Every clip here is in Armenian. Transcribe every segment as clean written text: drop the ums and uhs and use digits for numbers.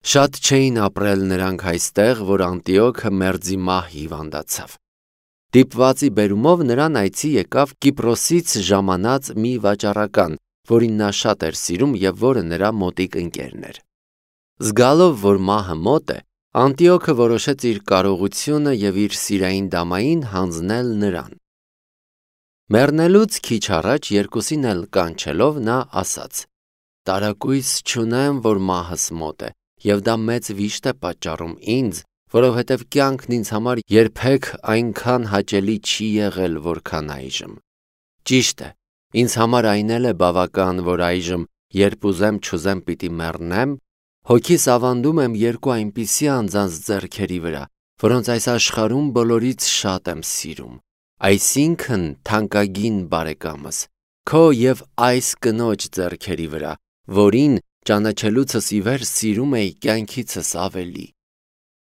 Շատ չէին ապրել նրանք այստեղ, որ Անտիոքը մերձի մահ հիվանդացավ։ Դիպվածի բերումով նրան այցի եկավ Կիպրոսից ժամանած մի վաճառական, որին նա շատ էր սիրում և որը նրա մոտիկ ընկերն էր։ Զգալով, որ մահը մոտ է, Անտիոքը որոշեց իր կարողությունը և իր սիրային դամային հանձնել նրան։ Մեռնելուց քիչ առաջ երկուսին էլ կանչելով նա ասաց. «Տարակույս չունեմ, որ մահս մոտ է, և դա մեծ վիշտ է պատճառում ինձ, որովհետև կյանքն ինձ համար երբեք այնքան հաճելի չի եղել, որքան այժմ։ Ճիշտ է, ինձ համար այն էլ է բավական, որ այժմ, երբ ուզեմ չուզեմ պիտի մեռնեմ, հոգիս ավանդում եմ երկու այնպիսի անձանց ձեռքերի վրա, որոնց այս աշխարհում բոլորից շատ եմ սիրում, այսինքն թանկագին բարեկամս, քո և այս կնոջ ձեռքերի վրա, որին ճանաչելուցս ի վեր սիրում էի կյանքիցս ավելի։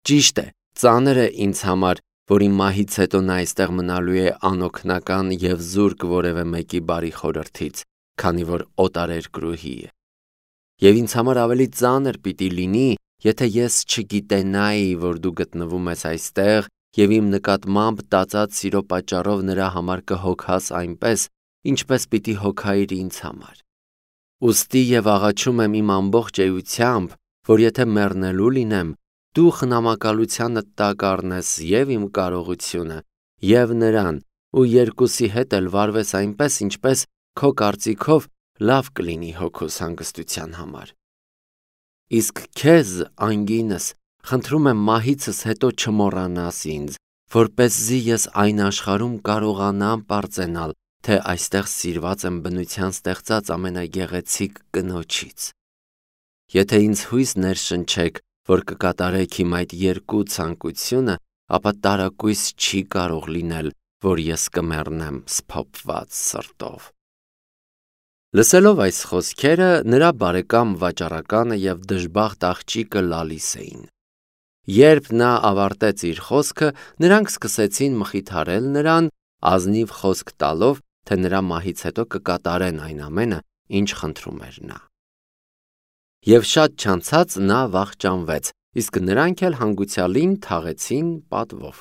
Ճիշտ է, ծանր է ինձ համար, որ իմ մահից հետո նա այստեղ մնալու է անօգնական և զուրկ որևէ մեկի բարի խորհրդից, քանի որ օտարերկրուհի է։ Եվ ինձ համար ավելի ծանր պիտի լինի, եթե ես չգիտենայի, որ դու գտնվում ես այստեղ և իմ նկատմամբ տածած սիրո պատճառով նրա համար կհոգաս այնպես, ինչպես պիտի հոգայիր ինձ համար։ Ուստի և աղաչում եմ իմ ամբողջ էությամբ, որ եթե մեռնելու լինեմ, դու խնամակալությանդ տակ առնես և իմ կարողությունը, և նրան, ու երկուսի հետ էլ վարվես այնպես, ինչպես քո կարծիքով լավ կլինի հոգուս հանգստության համար։ Իսկ քեզ, անգինս, խնդրում եմ մահիցս հետո չմոռանաս ինձ, որպեսզի ես այն աշխարհում կարողանամ պարծենալ, թե այստեղ սիրված եմ բնության ստեղծած ամենագեղեցիկ կնոջից։ Եթե ինձ հույս ներշնչեք, որ կկատարեք իմ այդ երկու ցանկությունը, ապա տարակույս չի կարող լինել, որ ես կմեռնեմ սփոփված սրտով»։ Լսելով այս խոսքերը, նրա բարեկամ վաճառականը և դժբախտ աղջիկը լալիս էին։ Երբ նա ավարտեց իր խոսքը, նրանք սկսեցին մխիթարել նրան, ազնիվ խոսք տալով, թե նրա մահից հետո կկատարեն այն ամենը, ինչ խնդրում էր նա։ Եվ շատ չանցած նա վախճանվեց, իսկ նրանք էլ հանգուցյալին թաղեցին պատվով։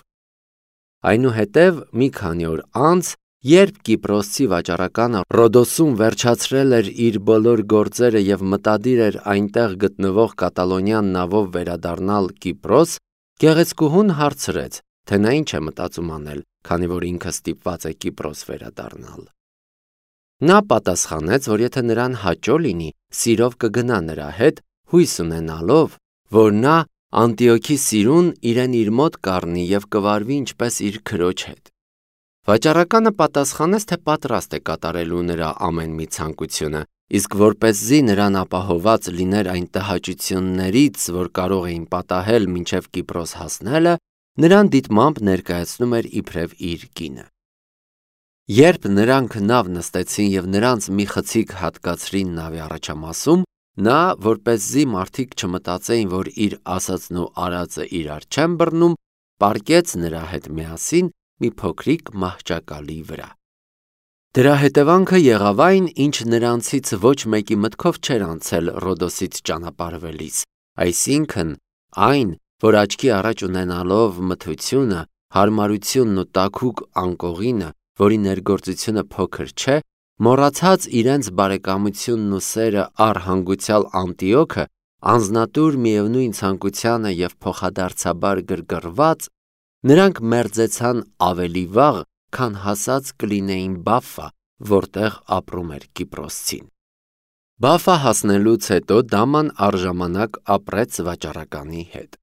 Այնուհետև մի քանի օր անց, երբ Կիպրոսցի վաճառականը Ռոդոսում վերջացրել էր իր բոլոր գործերը և մտադիր էր այնտեղ գտնվող կատալոնյան նավով վերադառնալ Կիպրոս, գեղեցկուհուն հարցրեց, թե նա ինչ է մտածում անել, քանի որ ինքը ստիպված է Կիպրոս վերադառնալ։ Նա պատասխանեց, որ եթե նրան հաճո լինի, սիրով կգնա նրա հետ, հույս ունենալով, որ նա Անտիոքի սիրուն իրեն իր մոտ կառնի և կվարվի ինչպես իր քրոջ հետ։ Վաճառականը պատասխանեց, թե պատրաստ է կատարելու նրա ամեն մի ցանկությունը, իսկ որպեսզի նրան ապահովված լիներ այն տհաճություններից, որ կարող էին պատահել մինչև Կիպրոս հասնելը, նրան դիտմամբ ներկայացնում էր իբրև իր կինը։ Երբ նրանք նավ նստեցին և նրանց մի խցիկ հատկացրին նավի առաջամասում, նա, որպեսզի մարդիկ չմտածեին, որ իր ասածն ու արածը իրար չեն բռնում, պառկեց նրա հետ միասին մի փոքրիկ մահճակալի վրա։ Դրա հետևանքը եղավ այն, ինչ նրանցից ոչ մեկի մտքով չէր անցել Ռոդոսից ճանապարհվելիս, այսինքն այն, որ աչքի առաջ ունենալով մթությունը, հարմարությունն ու տաքուկ անկողինը, որի ներգործությունը փոքր չէ, մոռացած իրենց բարեկամությունն ու սերը առ հանգուցյալ Անտիոքը, անձնատուր միևնույն ցանկությանը և փոխադարձաբար գրգռված, նրանք մերձեցան ավելի վաղ, քան հասած կլինեին Բաֆֆա, որտեղ ապրում էր Կիպրոսցին։ Բաֆфա հասնելուց հետո դաման առժամանակ ապրեց վաճառականի հետ։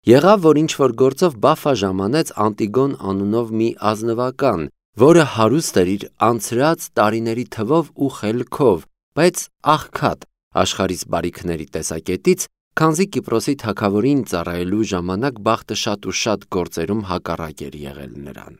Եղավ, որ ինչ-որ գործով Բաֆфա ժամանեց Անտիգոն անունով մի ազնվական, որը հարուստ էր իր անցրած տարիների թվով ու խելքով, բայց աղքատ աշխարհիս բարիքների տեսակետից, քանզի Կիպրոսի թագավորին ծառայելու ժամանակ բախտը շատ ու շատ գործերում հակառակ էր եղել նրան։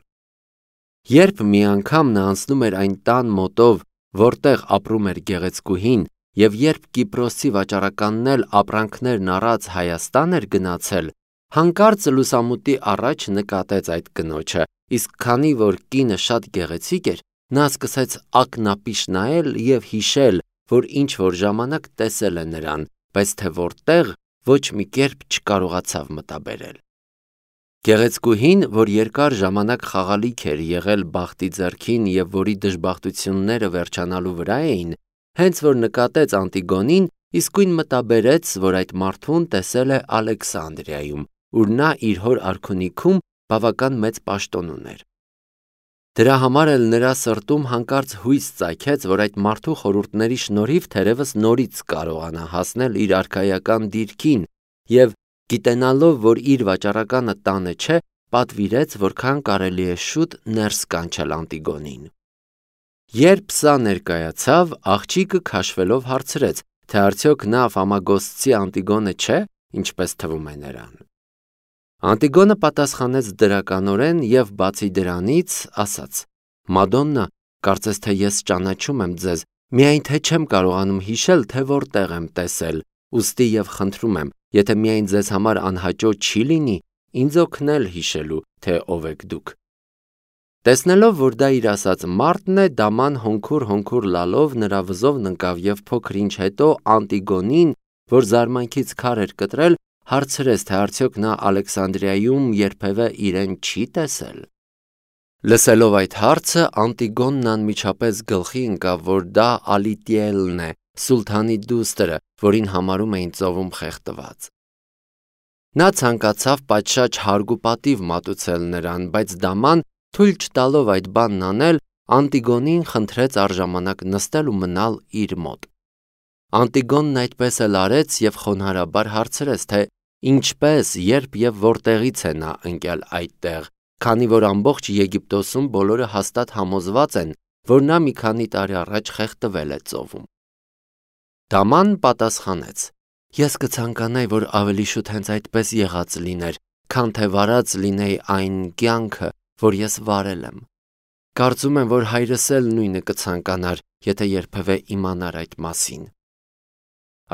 Երբ մի անգամ նա անցնում էր այն տան մոտով, որտեղ ապրում էր գեղեցկուհին, և երբ Կիպրոսցի վաճառականն էլ ապրանքներն առած Հայաստան էր գնացել, հանկարծ լուսամուտի առաջ նկատեց այդ կնոջը, իսկ քանի որ կինը շատ գեղեցիկ էր, նա սկսեց ակնապիշ նայել և հիշել, որ ինչ-որ ժամանակ տեսել է նրան, բայց թե որտեղ ոչ մի կերպ չկարողացավ մտաբերել։ Գեղեցկուհին, որ երկար ժամանակ խաղալիք էր եղել բախտի ձեռքին եւ որի դժբախտությունները վերջանալու վրա էին, հենց որ նկատեց Անտիգոնին, իսկույն մտաբերեց, որ այդ մարդուն տեսել է Ալեքսանդրիայում, ուր նա իր հոր արքունիքում բավական մեծ պաշտոն ուներ։ Դրա համար էլ նրա սրտում հանկարծ հույս ծագեց, որ այդ մարդու խորհուրդների շնորհիվ թերևս նորից կարողանա հասնել իր արքայական դիրքին եւ գիտենալով, որ իր վաճառականը տանը չէ, պատվիրեց, որքան կարելի է շուտ ներս կանչել Անտիգոնին։ Երբ սա ներկայացավ, աղջիկը քաշվելով հարցրեց, թե արդյոք նա Ֆամագոստցի Անտիգոնը չէ, ինչպես թվում է նրան։ Անտիգոնը պատասխանեց դրականորեն եւ բացի դրանից ասաց. «Մադոննա, կարծես թե ես ճանաչում եմ ձեզ, միայն թե չեմ կարողանում հիշել, թե որտեղ եմ տեսել, ուստի եւ խնդրում եմ, եթե միայն ձեզ համար անհաճո չի լինի, ինձ օգնել հիշելու, թե ով եք դուք»։ Տեսնելով, որ դա իր ասած մարդն է, դաման հոնքուր լալով նրա վզովն ընկավ եւ փոքր ինչ հետո Անտիգոնին, որ զարմանքից քար էր կտրել, հարցրեց, թե արդյոք նա Ալեքսանդրիայում երբևէ իրեն չի տեսել։ Լսելով այդ հարցը, Անտիգոնն անմիջապես գլխի ընկավ, որ դա Ալիտիելն է, սուլթանի դուստրը, որին համարում էին ծովում խեղդված։ Նա ցանկացավ պատշաճ հարգուպատիվ մատուցել նրան, բայց դաման, թույլ չտալով այդ բանն անել, Անտիգոնին խնդրեց առժամանակ նստել ու մնալ իր մոտ։ Անտիգոնն այդպես էլ արեց եւ խոնարհաբար հարցրեց, թե ինչպես, երբ եւ որտեղից է նա ընկել այդտեղ, քանի որ ամբողջ Եգիպտոսում բոլորը հաստատ համոզված են, որ նա մի քանի տարի առաջ խեղդվել է ծովում։ Դաման պատասխանեց. «Ես կցանկանայի, որ ավելի շուտ հենց այդպես եղած լիներ, քան թե վարած լինեի այն կյանքը, որ ես վարել եմ։ Կարծում եմ, որ հայրս էլ նույնը կցանկանար, եթե երբևէ իմանար այդ մասին»։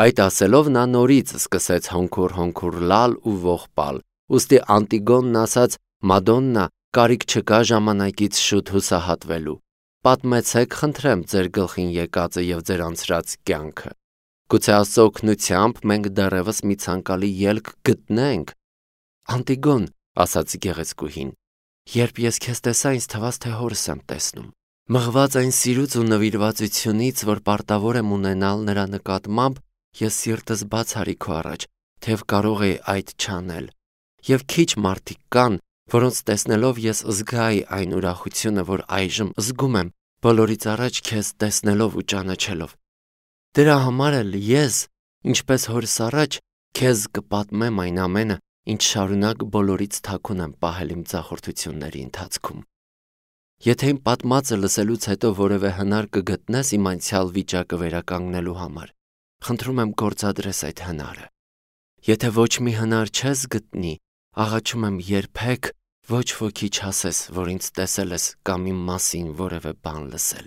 Այդ ասելով նա նորից սկսեց հոնքուր լալ ու ողբալ, ուստի Անտիգոնն ասաց. «Մադոննա, կարիք չկա ժամանակից շուտ հուսահատվելու, պատմեցեք խնդրեմ ձեր գլխին եկածը եւ ձեր անցրած կյանքը։ Գուցե Աստծո օգնությամբ մենք դեռևս մի ցանկալի ելք գտնենք»։ «Անտիգոն», ասաց գեղեցկուհին, «երբ ես քեզ տեսա, ինձ թվաց, թե հորս եմ տեսնում։ Մղված այն սիրուց ու նվիրվածությունից, որ պարտավոր եմ ունենալ նրա նկատմամբ, ես սիրտս բաց արի քո առաջ, թեև կարող էի այդ չանել։ Եվ քիչ մարդիկ կան, որոնց տեսնելով ես զգայի այն ուրախությունը, որ այժմ զգում եմ, բոլորից առաջ քեզ տեսնելով ու ճանաչելով։ Դրա համար էլ ես, ինչպես հորս առաջ, քեզ կպատմեմ այն ամենը, ինչ շարունակ բոլորից թաքուն եմ պահել իմ ձախորդությունների ընթացքում։ Եթե իմ պատմածը լսելուց հետո որևէ հնար կգտնես իմ անցյալ վիճակը վերականգնելու համար, խնդրում եմ գործադրես այդ հնարը։ Եթե ոչ մի հնար չես գտնի, աղաչում եմ երբեք ոչ ոքի չասես, որ ինձ տեսել ես կամ իմ մասին որևէ բան լսել։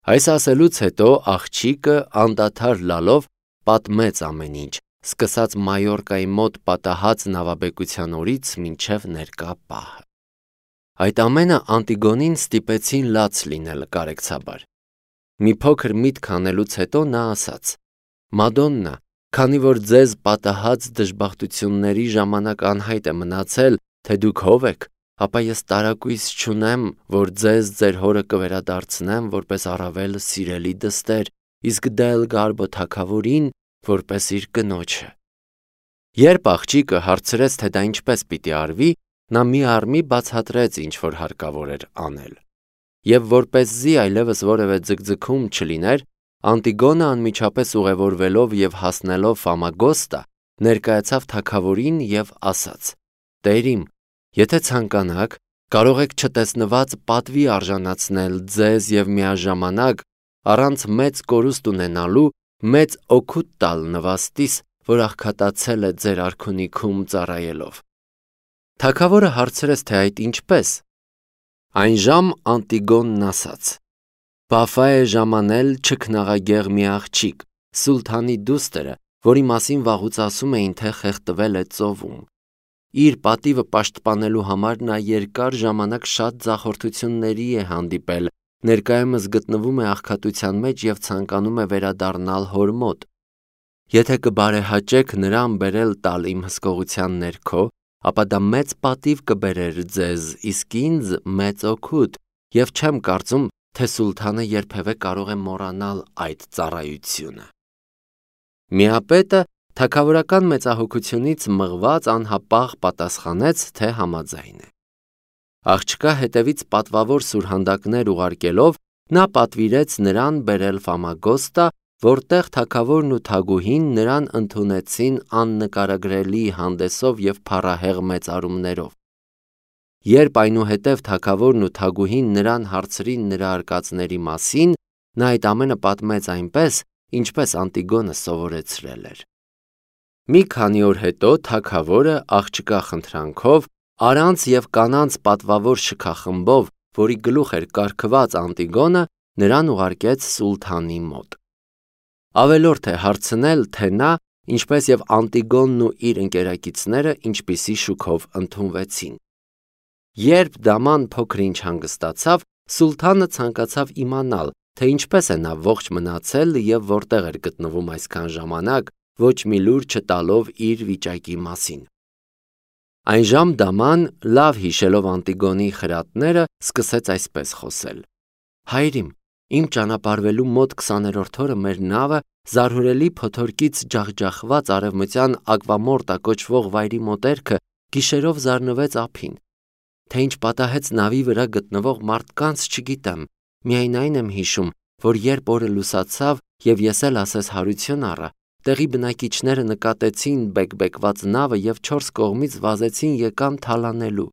Այս ասելուց հետո աղջիկը անդադար լալով պատմեց ամեն ինչ, սկսած Մայորկայի մոտ պատահած նավաբեկության օրից մինչև ներկա պահը։ Այդ ամենը Անտիգոնին ստիպեցին լաց լինել կարեկցաբար։ Մի փոքր միտք անելուց հետո նա ասաց. «Մադոննա, քանի որ ձեզ պատահած դժբախտությունների ժամանակ անհայտ է մնացել, թե դուք ով եք, ապա ես տարակույս չունեմ, որ ձեզ ձեր հորը կվերադարձնեմ որպես առավել սիրելի դստեր, իսկ դա էլ Գարբո թագավորին որպես իր կնոջը»։ Երբ աղջիկը հարցրեց, թե դա ինչպես պիտի արվի, նա մի առմի բացատրեց, ինչ որ հարկավոր էր անել։ Եվ որպեսզի այլևս որևէ ձգձգում չլիներ, Անտիգոնը անմիջապես ուղևորվելով եւ հասնելով Ֆամագոստա, ներկայացավ թագավորին եւ ասաց. «Տերիմ, եթե ցանկանաք, կարող եք չտեսնված պատվի արժանացնել ձեզ եւ միաժամանակ առանց մեծ կորուստ ունենալու մեծ օգուտ տալ նվաստիս, որ աղքատացել է ձեր արքունիքում ծառայելով»։ Թագավորը հարցրեց, թե այդ ինչպես։ Այն ժամ Անտիգոնն ասաց. «Վաֆա է ժամանել չքնաղագեղ մի աղջիկ, սուլթանի դուստրը, որի մասին վաղուց ասում էին, թե խեղդվել է ծովում։ Իր պատիվը պաշտպանելու համար նա երկար ժամանակ շատ ձախորդությունների է հանդիպել, ներկայումս գտնվում է աղքատության մեջ եւ ցանկանում է վերադառնալ հոր մոտ։ Եթե կբարեհաճեք նրան բերել տալ իմ հսկողության ներքո, ապա դա մեծ պատիվ կբերեր ձեզ, իսկ ինձ մեծ օգուտ, եւ չեմ կարծում, թե սուլթանը երբևէ կարող է մոռանալ այդ ծառայությունը։ Միապետը թագավորական մեծահոգությունից մղված անհապաղ պատասխանեց, թե համաձայն է։ Աղջկա հետևից պատվավոր սուրհանդակներ ուղարկելով, նա պատվիրեց նրան բերել Ֆամագոստա, որտեղ թագավորն ու թագուհին նրան ընդունեցին աննկարագրելի հանդեսով և փառահեղ մեծարումներով։ Երբ այնուհետև թագավորն ու թագուհին նրան հարցրին նրա արկածների մասին, նա այդ ամենը պատմեց այնպես, ինչպես Անտիգոնը սովորեցրել էր։ Մի քանի օր հետո թագավորը աղջկա խնդրանքով առանց և կանանց պատվավոր շքախմբով, որի գլուխ էր կարգված Անտիգոնը, նրան ուղարկեց սուլթանի մոտ։ Ավելորդ է հարցնել, թե նա, ինչպես և Անտիգոնն ու իր ընկերակիցները ինչպիսի շուքով ընդունվեցին։ Երբ դաման փոքր-ինչ հանգստացավ, սուլթանը ցանկացավ իմանալ, թե ինչպես է նա ողջ մնացել և որտեղ էր գտնվում այսքան ժամանակ, ոչ մի լուր չտալով իր վիճակի մասին։ Այնժամ դաման, լավ հիշելով Անտիգոնի խրատները, սկսեց այսպես խոսել. «Հայրիմ, իմ ճանապարհվելու մոտ 20-րդ օրը մեր նավը զարհուրելի փոթորկից ջախջախված արևմտյան Ակվամորտա կոչվող վայրի մոտերքը գիշերով զարնվեց ափին։ Թե ինչ պատահեց նավի վրա գտնվող մարդկանց չգիտեմ, միայն այն եմ հիշում, որ երբ օրը լուսացավ և ես էլ ասես հարություն առա, տեղի բնակիչները նկատեցին բեկբեկված նավը և 4 կողմից վազեցին եկան թալանելու։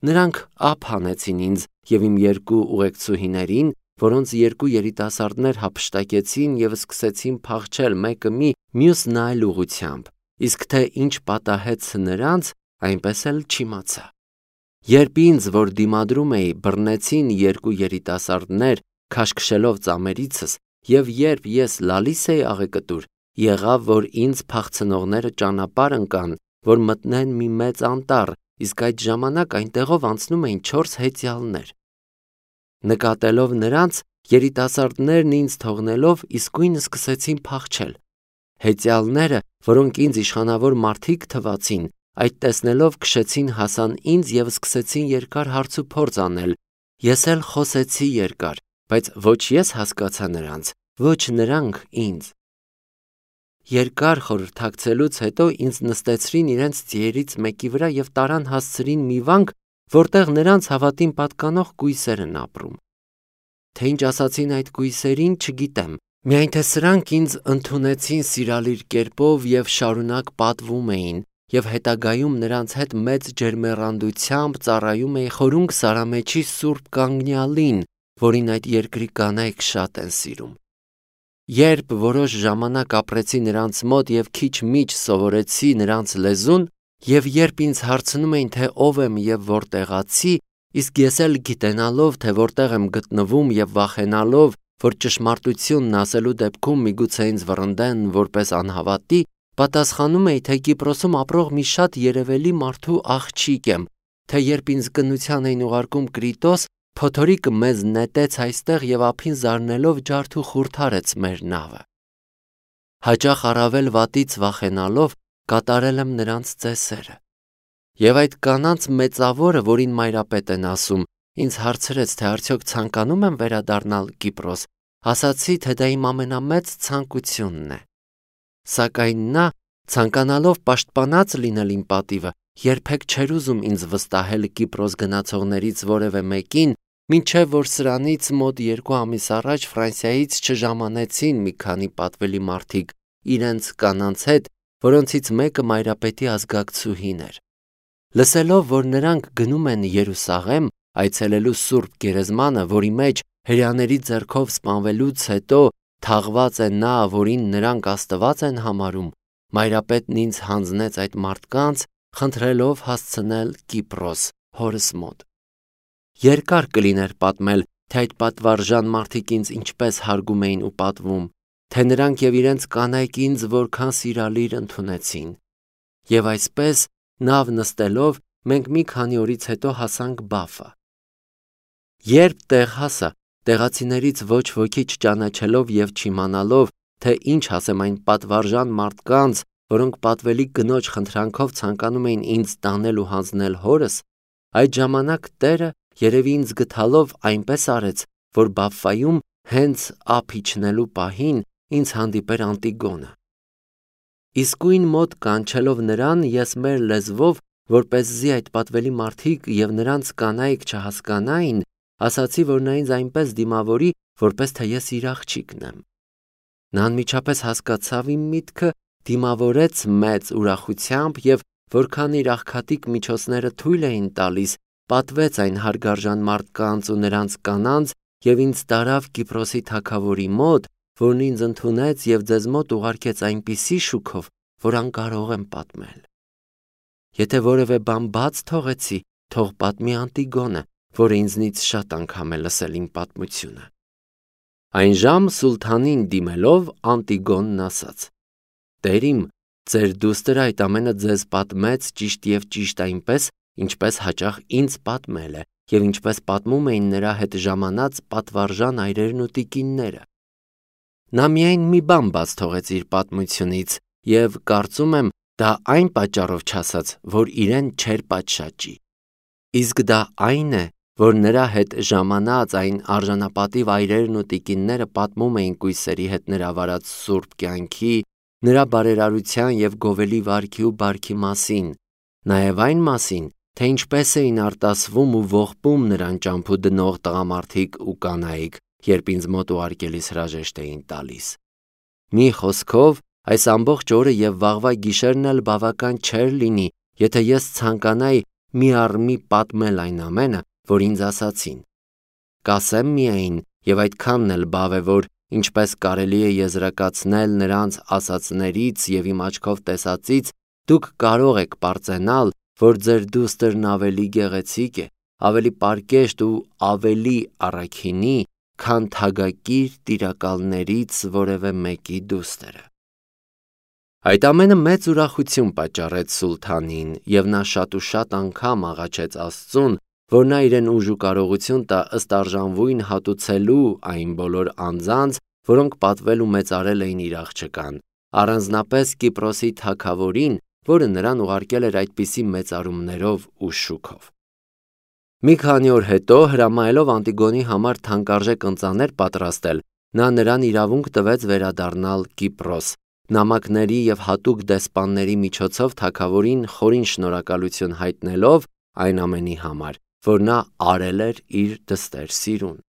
Նրանք ափ հանեցին ինձ և իմ 2 ուղեկցուհիներին, որոնց 2 երիտասարդներ հափշտակեցին և սկսեցին փախչել մեկը մի, մյուսն այլ ուղղությամբ, իսկ թե ինչ պատահեց նրանց, այնպես էլ չիմացա։ Երբ ինձ, որ դիմադրում էի, բռնեցին 2 երիտասարդներ, քաշքշելով ծամերիցս, և երբ ես լալիս էի աղեկտուր, եղավ, որ ինձ փախցնողները ճանապարհ ընկան, որ մտնեն մի մեծ անտառ, իսկ այդ ժամանակ այնտեղով անցնում էին 4 հեծյալներ։ Նկատելով նրանց, երիտասարդներն ինձ թողնելով իսկույն սկսեցին փախչել։ Հեծյալները, որոնք ինձ իշխանավոր մարդիկ թվացին, այդ տեսնելով քշեցին հասան ինձ և սկսեցին երկար հարցուփորձ անել։ Ես էլ խոսեցի երկար, բայց ոչ ես հասկացա նրանց, ոչ նրանք ինձ։ Երկար խորհրդակցելուց հետո ինձ նստեցրին իրենց ձիերից մեկի վրա և տարան հասցրին մի վանք, որտեղ նրանց հավատին պատկանող կույսեր են ապրում։ Թե ինչ ասացին այդ կույսերին, չգիտեմ, միայն թե սրանք ինձ ընդունեցին սիրալիր կերպով և շարունակ պատվում էին, և հետագայում նրանց հետ մեծ ջերմեռանդությամբ ծառայում էի խորունգ Սարամեչի Սուրբ Կանգնյալին, որին այդ երկրի կանայք շատ են սիրում։ Երբ որոշ ժամանակ ապրեցի նրանց մոտ և քիչ-միչ սովորեցի նրանց լեզուն, և երբ ինձ հարցնում էին, թե ով եմ և որտեղացի, իսկ ես էլ գիտենալով, թե որտեղ եմ գտնվում և վախենալով, որ ճշմարտությունն ասելու դեպքում միգուցե ինձ վռնդեն որպես անհավատի, պատասխանում էի, թե Կիպրոսում ապրող մի շատ երևելի մարդու աղջիկ եմ, թե երբ ինձ կնության էին ուղարկում Կրիտոս, փոթորիկը մեզ նետեց այստեղ և ափին զարնելով ջարդ ու խուրթարեց մեր նավը։ Հաճախ առավել վատից վախենալով կատարել եմ նրանց ծեսերը։ Եվ այդ կանանց մեծավորը, որին մայրապետ են ասում, ինձ հարցրեց, թե արդյոք ցանկանում եմ վերադառնալ Կիպրոս, ասացի, թե դա իմ ամենամեծ ցանկությունն է։ Սակայն նա, ցանկանալով պաշտպանած լինել իմ պատիվը, երբեք չէր ուզում ինձ վստահել Կիպրոս գնացողներից որևէ մեկին, մինչև որ սրանից մոտ 2 ամիս առաջ Ֆրանսիայից չժամանեցին մի քանի պատվելի մարդիկ իրենց կանանց հետ, որոնցից մեկը մայրապետի ազգակցուհին էր։ Լսելով, որ նրանք գնում են Երուսաղեմ, այցելելու Սուրբ Գերեզմանը, որի մեջ հրեաների ձեռքով սպանվելուց հետո թաղված է նա, որին նրանք Աստված են համարում, մայրապետն ինձ հանձնեց այդ մարդկանց, խնդրելով հասցնել Կիպրոս, հորս մոտ։ Երկար կլիներ պատմել, թե այդ պատվարժան մարդիկ ինձ ինչպես հարգում էին ու պատվում, թե նրանք և իրենց կանայք ինձ որքան սիրալիր ընդունեցին։ Եվ այսպես, նավ նստելով, մենք մի քանի օրից հետո հասանք Բաֆա։ Երբ տեղ հասա, տեղացիներից ոչ ոքի չճանաչելով և չիմանալով, թե ինչ ասեմ այն պատվարժան մարդկանց, որոնք պատվելի կնոջ խնդրանքով ցանկանում էին ինձ տանել ու հանձնել հորս, այդ ժամանակ Տերը երևի ինձ գթալով այնպես արեց, որ Բաֆֆայում հենց ափ իջնելու պահին ինձ հանդիպեր Անտիգոնը։ Իսկույն մոտ կանչելով նրան, ես մեր լեզվով, որպեսզի այդ պատվելի մարդիկ և նրանց կանայք չհասկանային, ասացի, որ նա ինձ այնպես դիմավորի, որպես թե ես իր աղջիկն եմ։ Նա անմիջապես հասկացավ իմ միտքը, դիմավորեց մեծ ուրախությամբ և որքան իր աղքատիկ միջոցները թույլ էին տալիս, պատվեց այն հարգարժան մարդկանց ու նրանց կանանց և ինձ տարավ Կիպրոսի թագավորի մոտ, որն ինձ ընդունեց և ձեզ մոտ ուղարկեց այնպիսի շուքով, որ անկարող եմ պատմել։ Եթե որևէ բան բաց թողեցի, թող պատմի Անտիգոնը, որը ինձնից շատ անգամ է լսել իմ պատմությունը։ Այն ժամ սուլթանին դիմելով Անտիգոնն ասաց. «Տեր իմ, ձեր դուստր այդ ամենը ձեզ պատմեց ճիշտ և ճիշտ այնպես, ինչպես հաճախ ինձ պատմել է, և ինչպես պատմում էին նրա հետ ժամանած պատվարժան այրերն ու տիկինները։ Նա միայն մի բան բաց թողեց իր պատմությունից, և կարծում եմ, դա այն պատճառով չասաց, որ իրեն չէր պատշաճի։ Իսկ դա այն է, որ նրա հետ ժամանած այն արժանապատիվ այրերն ու տիկինները պատմում էին կույսերի հետ նրա վարած սուրբ կյանքի, նրա բարերարության և գովելի վարքի ու բարքի մասին, նաև այն մասին, թե ինչպես էին արտասվում ու ողբում նրան ճամփու դնող տղամարդիկ ու կանայք, երբ ինձ մոտ ուղարկելիս հրաժեշտ էին տալիս։ Մի խոսքով, այս ամբողջ օրը և վաղվա գիշերն էլ բավական չէր լինի, եթե ես ցանկանայի մի առ մի պատմել այն ամենը, որ ինձ ասացին։ Կասեմ միայն, և այդքանն էլ բավ է, որ ինչպես կարելի է եզրակացնել նրանց ասածներից և իմ աչքով տեսածից, դուք կարող եք պարծենալ, որ ձեր դուստրն ավելի գեղեցիկ է, ավելի պարկեշտ ու ավելի առաքինի, քան թագակիր տիրակալներից որևէ մեկի դուստրը։ Այդ ամենը մեծ ուրախություն պատճառեց սուլթանին, և նա շատ ու շատ անգամ աղաչեց Աստծուն, որ նա իրեն ուժ ու կարողություն տա ըստ արժանվույն հատուցելու այն բոլոր անձանց, որոնք պատվել ու մեծարել էին իր աղջկան, առանձնապես Կիպրոսի թագավորին, որը նրան ուղարկել էր այդպիսի մեծարումներով ու շուքով։ Մի քանի օր հետո, հրամայելով Անտիգոնի համար թանկարժեք ընծաներ պատրաստել, նա նրան իրավունք տվեց վերադառնալ Կիպրոս, նամակների և հատուկ դեսպանների միջոցով թագավորին խորին շնորհակալություն հայտնելով այն ամենի համար, որ նա արել էր իր դստեր Սիրուն։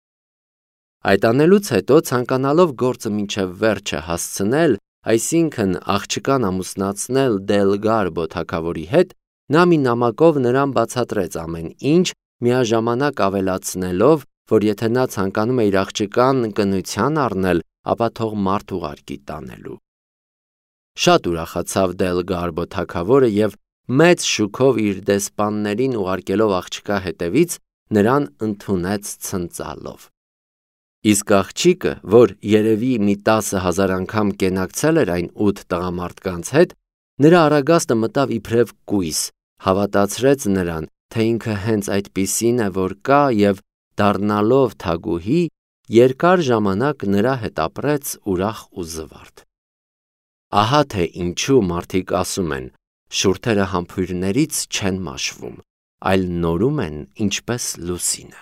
Այդ անելուց հետո, ցանկանալով գործը մինչև վերջը հասցնել, այսինքն աղջկան ամուսնացնել Դելգարբո թագավորի հետ, նա մի նամակով նրան բացատրեց ամեն ինչ, միաժամանակ ավելացնելով, որ եթե նա ցանկանում է իր աղջկան կնության առնել, ապա թող մարդ ուղարկի տանելու։ Շատ ուրախացավ Դելգարբո թագավորը և մեծ շուքով իր դեսպաններին ուղարկելով աղջկա հետևից, նրան ընդունեց ցնծալով։ Իսկ աղջիկը, որ երևի մի 10,000 անգամ կենակցել էր այն 8 տղամարդկանց հետ, նրա առագաստը մտավ իբրև կույս, հավատացրեց նրան, թե ինքը հենց այդպիսին է, որ կա, և դառնալով թագուհի, երկար ժամանակ նրա հետ ապրեց ուրախ ու զվարթ։ Ահա թե ինչու մարդիկ ասում են. շուրթերը համբույրներից չեն մաշվում, այլ նորում են ինչպես լուսինը։